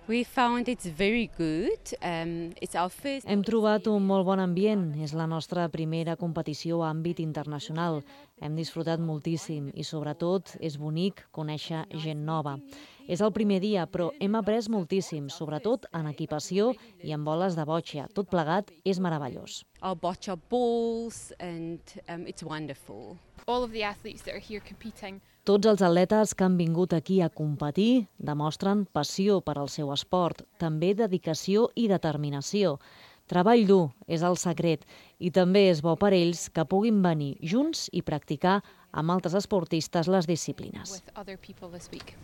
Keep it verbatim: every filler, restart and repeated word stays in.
We found it's very good. Um, it's our first... Hem trobat un molt bon ambient. És la nostra primera competició a àmbit internacional. Hem disfrutat moltíssim i, sobretot, és bonic conèixer gent nova. És el primer dia, però hem après moltíssim, sobretot en equipació i en boles de boccia. Tot plegat és meravellós. Our boccia balls, and um, it's wonderful. All of the athletes that are here competing. Tots els atletes que han vingut aquí a competir demostren passió per al seu esport, també dedicació i determinació. Treball dur és el secret i també és bo per ells que puguin venir junts i practicar amb altres esportistes les disciplines. With other people this week.